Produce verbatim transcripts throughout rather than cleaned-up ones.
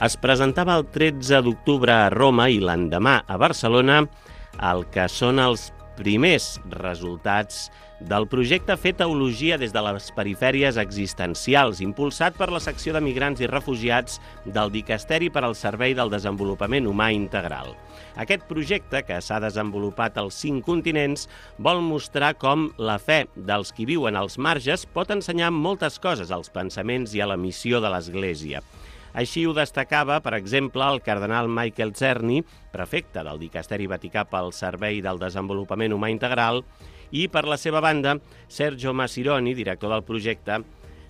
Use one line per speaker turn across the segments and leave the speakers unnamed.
Es presentava el tretze d'octubre a Roma i l'endemà a Barcelona el que són els primers resultats del projecte Fer Teologia des de les perifèries existencials, impulsat per la secció de migrants i refugiats del Dicasteri per al Servei del Desenvolupament Humà Integral. Aquest projecte, que s'ha desenvolupat als cinc continents, vol mostrar com la fe dels qui viuen als marges pot ensenyar moltes coses als pensaments i a la missió de l'Església. Així ho destacava, per exemple, el cardenal Michael Czerny, prefecte del Dicasteri Vaticà pel Servei del Desenvolupament Humà Integral, i, per la seva banda, Sergio Masironi, director del projecte,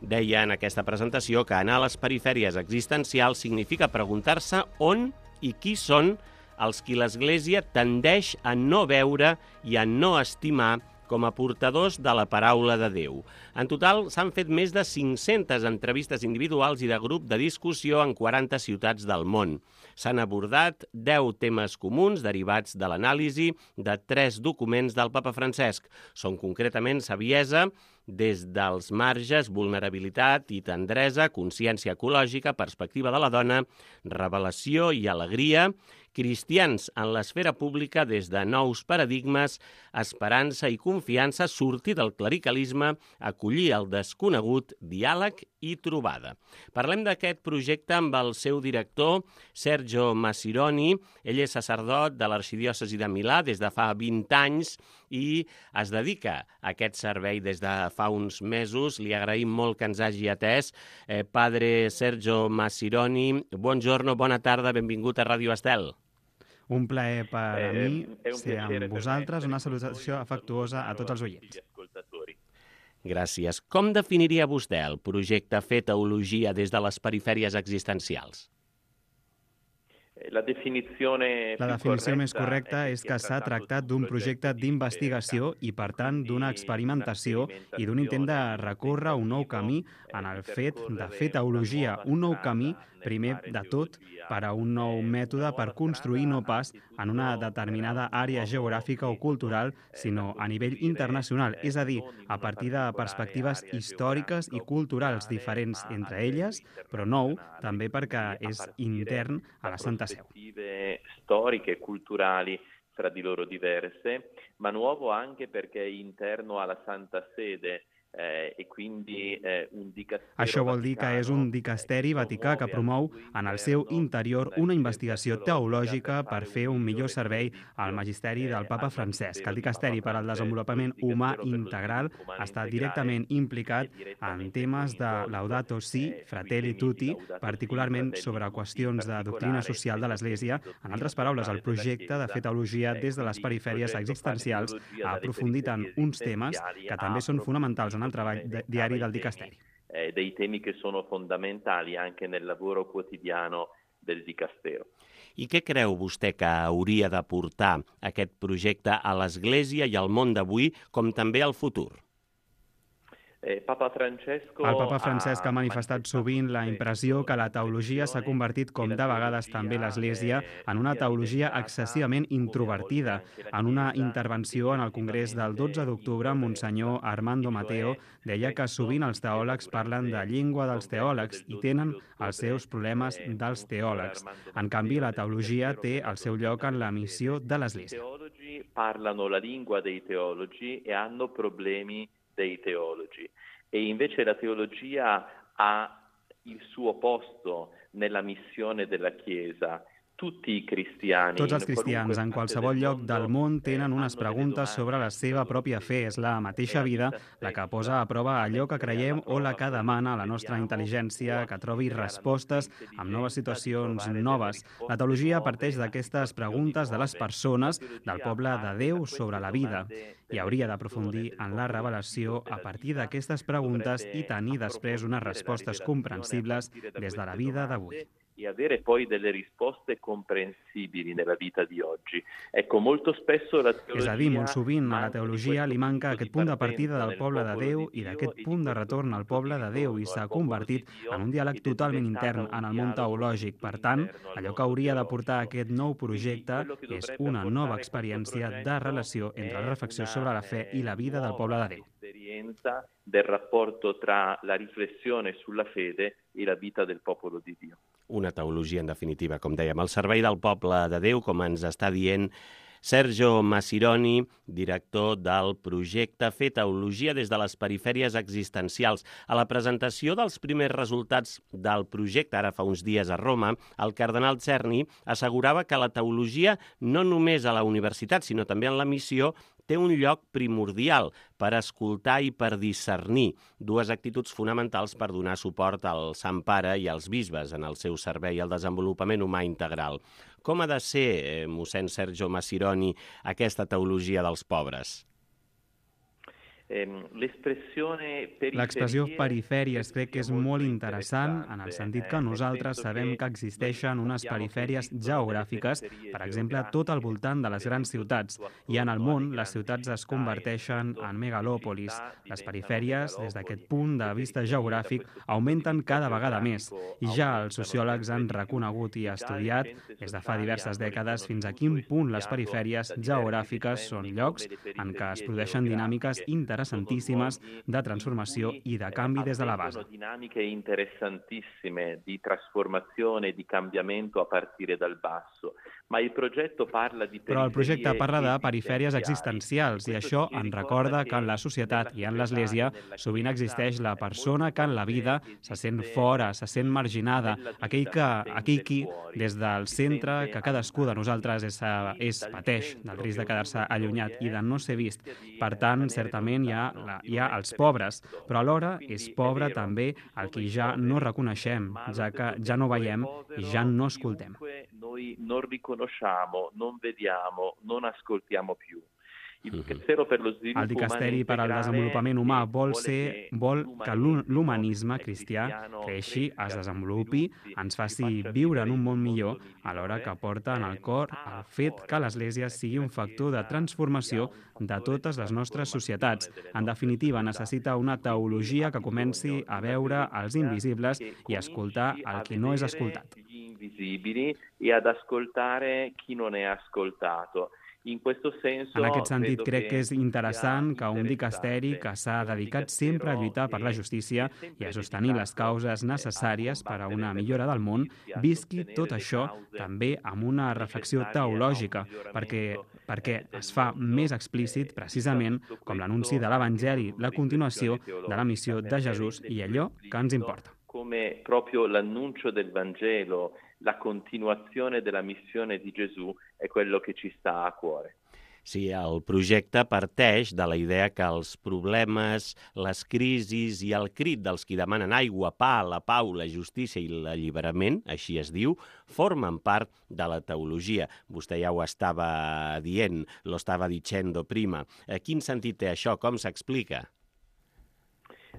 deia en aquesta presentació que anar a les perifèries existencials significa preguntar-se on i qui són els qui l'Església tendeix a no veure i a no estimar com a portadors de la paraula de Déu. En total, s'han fet més de cinc-centes entrevistes individuals i de grup de discussió en quaranta ciutats del món. S'han abordat deu temes comuns derivats de l'anàlisi de tres documents del Papa Francesc. Són concretament saviesa, des dels marges, vulnerabilitat i tendresa, consciència ecològica, perspectiva de la dona, revelació i alegria, cristians en l'esfera pública des de nous paradigmes, esperança i confiança, sortir del clericalisme, acollir el desconegut, diàleg i trobada. Parlem d'aquest projecte amb el seu director, Sergio Masironi. Ell és sacerdot de l'Arxidiòcesi de Milà des de fa vint anys i es dedica a aquest servei des de fa uns mesos. Li agraïm molt que ens hagi atès. Eh, padre Sergio Masironi, buongiorno, bona tarda, benvingut a Ràdio Estel.
Un plaer per a mi ser amb vosaltres, una salutació afectuosa a tots els oients.
Gràcies. Com definiria vostè el projecte Fer Teologia des de les perifèries existencials?
La definició més correcta és que s'ha tractat d'un projecte d'investigació i, per tant, d'una experimentació i d'un intent de recórrer un nou camí en el fet de fer teologia, un nou camí, primer de tot, per a un nou mètode per construir no pas en una determinada àrea geogràfica o cultural, sinó a nivell internacional, és a dir, a partir de perspectives històriques i culturals diferents entre elles, però nou també perquè és intern a la Santa Seu.
Storiche e culturali fra di loro diverse, ma nuovo anche perché è interno alla Santa Sede. Eh, e quindi, eh, un
Això vol dir que és un dicasteri vaticà que promou en el seu interior una investigació teològica per fer un millor servei al magisteri del Papa Francesc. El dicasteri per al desenvolupament humà integral està directament implicat en temes de Laudato Si, Fratelli Tutti, particularment sobre qüestions de doctrina social de l'Església. En altres paraules, el projecte de fer teologia des de les perifèries existencials ha aprofundit en uns temes que també són fonamentals en el treball de, diari del dicasteri.
Eh, dei temi che sono fondamentali anche nel lavoro quotidiano del dicastero.
I què creu vostè que hauria de portar aquest projecte a l'Església i al món d'avui, com també al futur?
Eh, Papa Francesco
El Papa Francesc ha manifestat sovint la impressió que la teologia s'ha convertit, com de vegades també l'Església, en una teologia excessivament introvertida. En una intervenció en el Congrés del dotze d'octubre, Monsenyor Armando Mateo deia que sovint els teòlegs parlen de llengua dels teòlegs i tenen els seus problemes dels teòlegs. En canvi, la teologia té el seu lloc en la missió de l'Església.
I teologi parlano la lingua dei teologi e hanno problemi dei teologi, e invece la teologia ha il suo posto nella missione della Chiesa. Tutti i cristiani,
Tots els cristians en qualsevol lloc del món tenen unes preguntes sobre la seva pròpia fe. És la mateixa vida la que posa a prova allò que creiem o la que demana la nostra intel·ligència que trobi respostes amb noves situacions noves. La teologia parteix d'aquestes preguntes de les persones, del poble de Déu sobre la vida, i hauria d'aprofundir en la revelació a partir d'aquestes preguntes i tenir després unes respostes comprensibles des de la vida d'avui.
E avere poi delle risposte comprensibili nella vita di oggi. Ecco, molto spesso la teologia...
És a dir, molt sovint a la teologia li manca aquest punt de partida del poble de Déu i d'aquest punt de retorn al poble de Déu i s'ha convertit en un diàleg totalment intern en el món teològic. Per tant, allò que hauria de portar aquest nou projecte és una nova experiència de relació entre la reflexió sobre la fe i la vida del poble de Déu.
Esperienza del rapporto tra la riflessione sulla fede e la vita del popolo di Dio.
una teologia, en definitiva, com dèiem, al servei del poble de Déu, com ens està dient Sergio Masironi, director del projecte Fer Teologia des de les perifèries existencials. A la presentació dels primers resultats del projecte, ara fa uns dies a Roma, el cardenal Czerny assegurava que la teologia, no només a la universitat, sinó també en la missió, té un lloc primordial per escoltar i per discernir, dues actituds fonamentals per donar suport al Sant Pare i als bisbes en el seu servei al desenvolupament humà integral. Com ha de ser, eh, mossèn Sergio Masironi, aquesta teologia dels pobres?
L'expressió perifèries crec que és molt interessant en el sentit que nosaltres sabem que existeixen unes perifèries geogràfiques, per exemple, tot al voltant de les grans ciutats, i en el món les ciutats es converteixen en megalòpolis. Les perifèries, des d'aquest punt de vista geogràfic, augmenten cada vegada més, i ja els sociòlegs han reconegut i estudiat des de fa diverses dècades fins a quin punt les perifèries geogràfiques són llocs en què es produeixen dinàmiques interessants interessantíssimes de transformació i de canvi des de la base.
Dinamiche interessantissime di trasformazione e di cambiamento a partire dal basso. Ma il progetto parla di
Però el projecte parla de perifèries existencials i això ens recorda que en la societat i en l'Església sovint existeix la persona que en la vida se sent fora, se sent marginada, aquell que, aquell qui, des del centre que cadascú de nosaltres és, és pateix del risc de quedar-se allunyat i de no ser vist. Per tant, certament hi ha, la, hi ha els pobres, però alhora és pobre també el qui ja no reconeixem, ja que ja no veiem i ja no escoltem.
Noi non riconosciamo, non vediamo, non ascoltiamo più.
El Dicasteri per al Desenvolupament Humà vol, ser, vol que l'humanisme cristià creixi, es desenvolupi, ens faci viure en un món millor, alhora que porta en el cor el fet que l'Església sigui un factor de transformació de totes les nostres societats. En definitiva, necessita una teologia que comenci a veure els invisibles i a escoltar el qui no és escoltat.
Invisibili e ad ascoltare chi non è ascoltato. In questo senso,
en aquest sentit, crec que és interessant que un dicasteri que s'ha dedicat sempre a lluitar per la justícia i a sostenir les causes necessàries per a una millora del món, visqui tot això també amb una reflexió teològica, perquè, perquè es fa més explícit precisament com l'anunci de l'Evangeli, la continuació de la missió de Jesús i allò que ens importa.
Come proprio l'annuncio del Vangelo, la continuazione della missione di Gesù è quello che ci sta a cuore.
Sí, el projecte parteix de la idea que els problemes, les crisis i el crit dels qui demanen aigua, pa, la pau, la justícia i l'alliberament, així es diu, formen part de la teologia. Vostè ja ho estava dient, lo estava dicendo prima. Quin sentit té això? Com s'explica?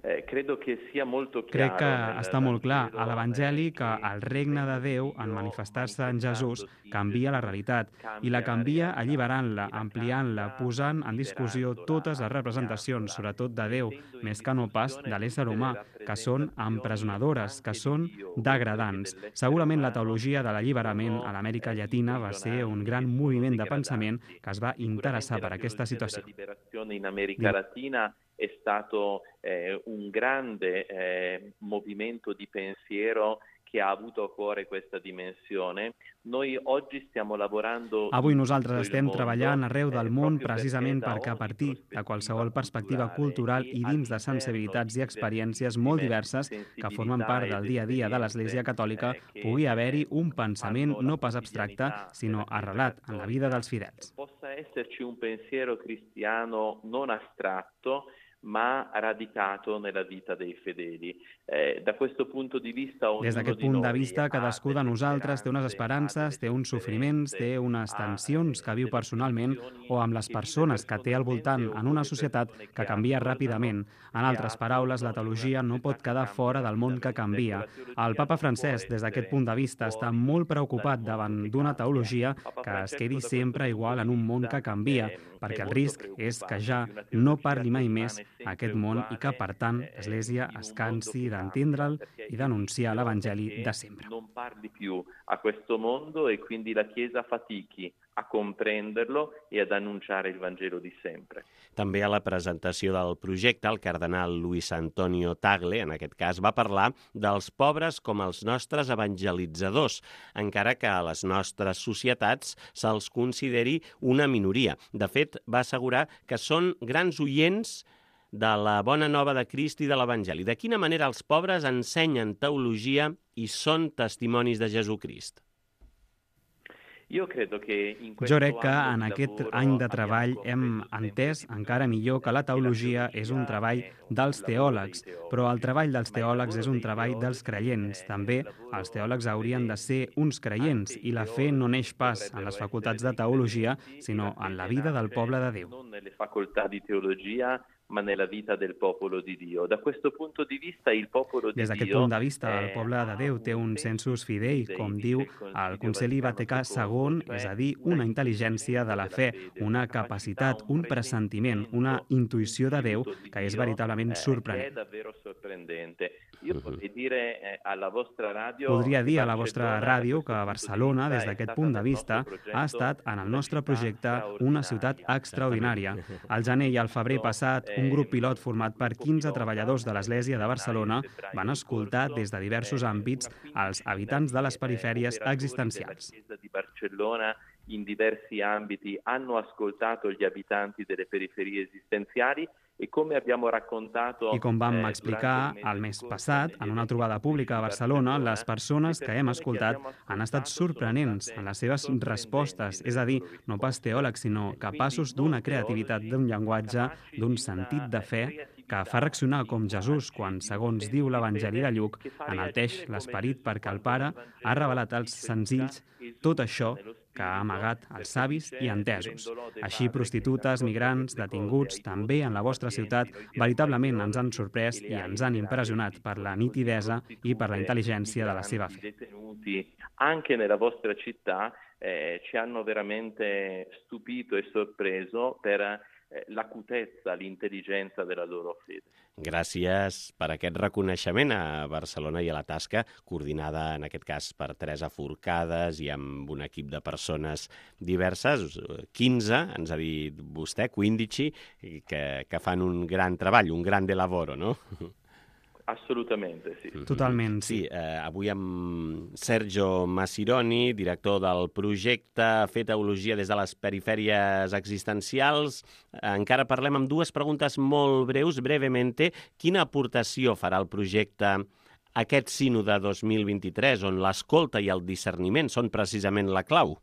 Eh, credo que sia molto
Crec que està molt clar a l'Evangeli que el regne de Déu, en manifestar-se en Jesús, canvia la realitat i la canvia alliberant-la, ampliant-la, posant en discussió totes les representacions, sobretot de Déu, més que no pas de l'ésser humà, que són empresonadores, que són degradants. Segurament la teologia de l'alliberament a l'Amèrica Llatina va ser un gran moviment de pensament que es va interessar per aquesta situació.
In America Latina è stato eh, un grande eh, movimento di pensiero che ha avuto a cuore questa dimensione. Noi oggi stiamo lavorando...
Avui nosaltres estem treballant arreu del món precisament perquè a partir de qualsevol perspectiva cultural i dins de sensibilitats i experiències molt diverses que formen part del dia a dia de l'Església Catòlica pugui haver-hi un pensament no pas abstracte, sinó arrelat en la vida dels fidels.
Possa esserci un pensiero cristiano non astratto, ma radicato nella vita dei fedeli. Eh, da questo punto di vista,
Des d'aquest punt de vista, cadascú de nosaltres té unes esperances, té uns sofriments, té unes tensions que viu personalment o amb les persones que té al voltant en una societat que canvia ràpidament. En altres paraules, la teologia no pot quedar fora del món que canvia. El papa Francesc, des d'aquest punt de vista, està molt preocupat davant d'una teologia que es quedi sempre igual en un món que canvia, perquè el risc és que ja no parli mai més aquest món i que, per tant, l'Església es cansi d'entendre'l i d'anunciar l'Evangeli de sempre.
Non parli più a questo mondo e quindi la Chiesa fatichi a comprenderlo e ad annunciare il Vangelo di sempre.
També a la presentació del projecte, el cardenal Luis Antonio Tagle, en aquest cas, va parlar dels pobres com els nostres evangelitzadors, encara que a les nostres societats se'ls consideri una minoria. De fet, va assegurar que són grans oients de la bona nova de Crist i de l'Evangeli. De quina manera els pobres ensenyen teologia i són testimonis de Jesucrist?
Jo crec que
en aquest any de treball hem entès encara millor que la teologia és un treball dels teòlegs, però el treball dels teòlegs és un treball dels creients. També els teòlegs haurien de ser uns creients i la fe no neix pas en les facultats de teologia, sinó en la vida del poble de Déu.
Non nelle facoltà di teologia, ma nella vita del popolo di Dio. Da questo punto di vista il popolo di Dio...
Des d'aquest punt de vista, el poble de Déu té un sensus fidei, com diu el Concili Vaticà segon, és a dir, una intel·ligència de la fe, una capacitat, un pressentiment, una intuïció de Déu que és veritablement sorprenent.
Jo podria dir a la vostra ràdio...
Podria dir a la vostra ràdio que Barcelona, des d'aquest punt de vista, ha estat, en el nostre projecte, una ciutat extraordinària. Al gener i al febrer passat, un grup pilot format per quinze treballadors de l'Església de Barcelona van escoltar des de diversos àmbits als habitants de les perifèries existencials.
Di Barcellona in diversi ambiti hanno ascoltato gli abitanti delle periferie esistenziali e come abbiamo raccontato...
I com vam explicar el mes passat, en una trobada pública a Barcelona, les persones que hem escoltat han estat sorprenents en les seves respostes, és a dir, no pas teòlegs, sinó capaços d'una creativitat, d'un llenguatge, d'un sentit de fe que fa reaccionar com Jesús quan, segons diu l'Evangeli de Lluc, enalteix l'esperit perquè el Pare ha revelat als senzills tot això que ha amagat els savis i entesos. Així, prostitutes, migrants, detinguts, també en la vostra ciutat, veritablement ens han sorprès i ens han impressionat per la nitidesa i per la intel·ligència de la seva fe.
Anche nella vostra città eh, ci hanno veramente stupito e sorpreso per l'acutezza, l'intel·ligència de la loro fede.
Gràcies per aquest reconeixement a Barcelona i a la tasca, coordinada en aquest cas per Teresa Forcades i amb un equip de persones diverses, quinze, ens ha dit vostè, quindici, que, que fan un gran treball, un grande lavoro, no?
Assolutament, sí.
Totalment, sí.
sí eh, avui amb Sergio Masironi, director del projecte Fer Teologia des de les perifèries existencials. Encara parlem amb dues preguntes molt breus, brevemente. Quina aportació farà el projecte aquest sínode dos mil vint-i-tres, on l'escolta i el discerniment són precisament la clau?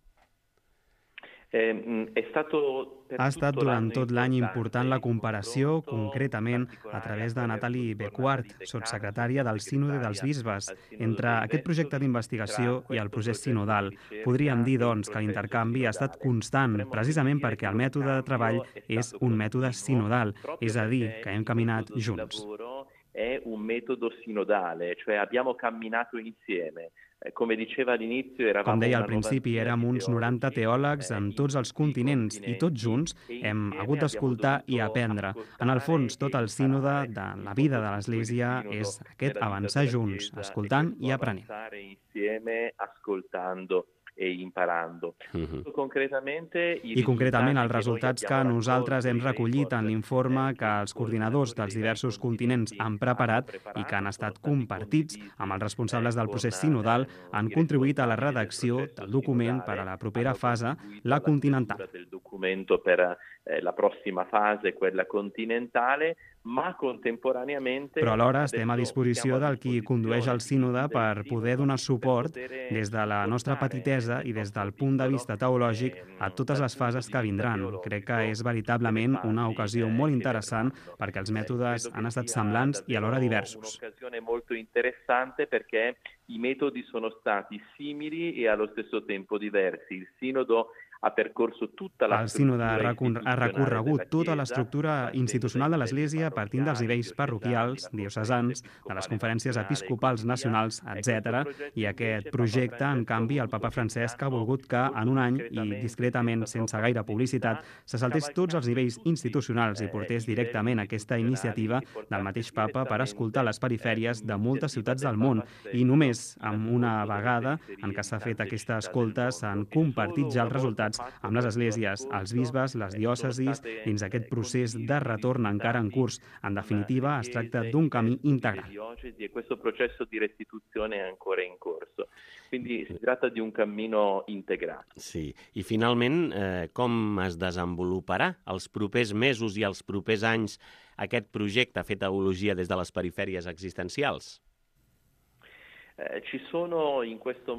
Eh, è stato
Ha estat durant tot l'any important la comparació, concretament a través de Nathalie Becquart, sotssecretària del Sínode dels Bisbes, entre aquest projecte d'investigació i el procés sinodal. Podríem dir, doncs, que l'intercanvi ha estat constant, precisament perquè el mètode de treball és un mètode sinodal, és a dir, que hem caminat junts.
È un metodo sinodale, cioè abbiamo camminato insieme. Com
deia al principi, érem uns noranta teòlegs en tots els continents i tots junts hem hagut d'escoltar i aprendre. En el fons, tot el sínode de la vida de l'Església és aquest avançar junts, escoltant i aprenent.
e imparando.
Uh-huh. I concretament els resultats que nosaltres hem recollit en l'informe que els coordinadors dels diversos continents han preparat i que han estat compartits amb els responsables del procés sinodal han contribuït a la redacció del document per a la propera fase, la continental.
Del documento per la prossima fase, quella continentale, ma contemporaneamente...
Però alhora estem a disposició del qui condueix el sínode per poder donar suport des de la nostra petitesa i des del punt de vista teològic a totes les fases que vindran. Crec que és veritablement una ocasió molt interessant perquè els mètodes han estat semblants i alhora diversos.
Un'occasione molto interessante perché i metodi sono stati simili e allo stesso tempo diversi. Il sinodo ha percorso tutta la
El sínode ha recorregut tota l'estructura institucional de l'Església partint dels nivells parroquials, diocesans, de les conferències episcopals nacionals, etcètera. I aquest projecte, en canvi, el papa Francesc ha volgut que en un any, i discretament, sense gaire publicitat, se saltés tots els nivells institucionals i portés directament aquesta iniciativa del mateix papa per escoltar les perifèries de moltes ciutats del món. I només amb una vegada en què s'ha fet aquesta escolta s'han compartit ja els resultats entitats amb les esglésies, els bisbes, les diòcesis, dins aquest procés de retorn encara en curs. En definitiva, es tracta d'un camí integral.
E questo processo di restituzione è ancora in corso. Quindi si tratta di un cammino integrale.
Sí. I finalment, eh, com es desenvoluparà els propers mesos i els propers anys aquest projecte Fer Teologia des de les perifèries existencials?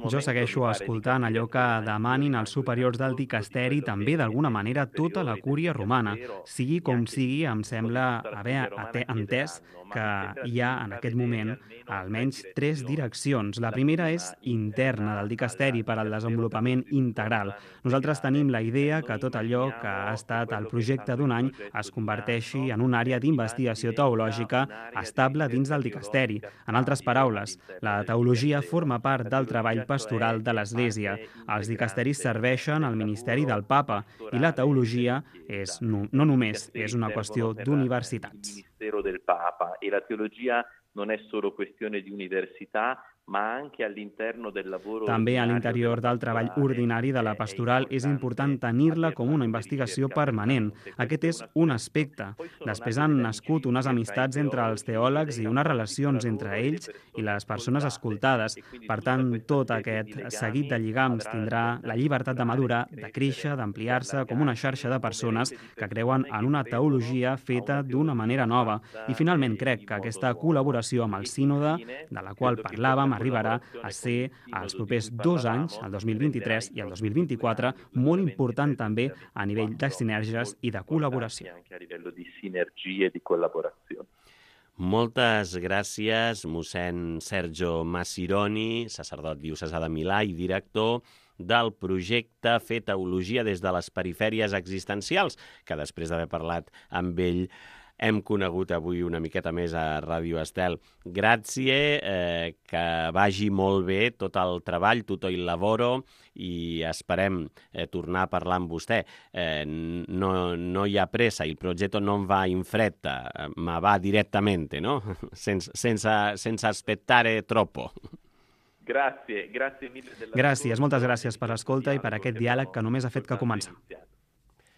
Jo segueixo escoltant allò que demanin els superiors del dicasteri, també d'alguna manera tota la cúria romana. Sigui com sigui, em sembla haver entès que hi ha en aquest moment almenys tres direccions. La primera és interna del dicasteri per al desenvolupament integral. Nosaltres tenim la idea que tot allò que ha estat el projecte d'un any es converteixi en una àrea d'investigació teològica estable dins del dicasteri. En altres paraules, la teologia La teologia forma part del treball pastoral de l'Església. Els dicasteris serveixen al ministeri del Papa i la teologia és, no, no només és una qüestió d'universitats.
Il ministero del Papa e la teologia non è solo questione di università, ma anche all'interno del lavoro.
També a l'interior del treball ordinari de la pastoral és important tenir-la com una investigació permanent. Aquest és un aspecte. Després han nascut unes amistats entre els teòlegs i unes relacions entre ells i les persones escoltades. Per tant, tot aquest seguit de lligams tindrà la llibertat de madurar, de créixer, d'ampliar-se com una xarxa de persones que creuen en una teologia feta d'una manera nova. I finalment crec que aquesta col·laboració amb el sínode, de la qual parlàvem, arribarà a ser els propers dos anys, el dos mil vint-i-tres i el dos mil vint-i-quatre, molt important també a nivell de sinergies i de col·laboració.
Moltes gràcies, mossèn Sergio Massironi, sacerdot diocesà de Milà i director del projecte Fer Teologia des de les perifèries existencials, que després d'haver parlat amb ell hem conegut avui una miqueta més a Ràdio Estel. Gràcies, eh, que vagi molt bé tot el treball, tutto il lavoro, i esperem eh, tornar a parlar amb vostè. Eh, no, no hi ha pressa, il progetto non va in fretta, ma va direttamente, no? Sense, sense, sense aspettare troppo.
Gràcies, gràcies mille.
Gràcies, moltes gràcies per l'escolta i per aquest diàleg que només ha fet que començar.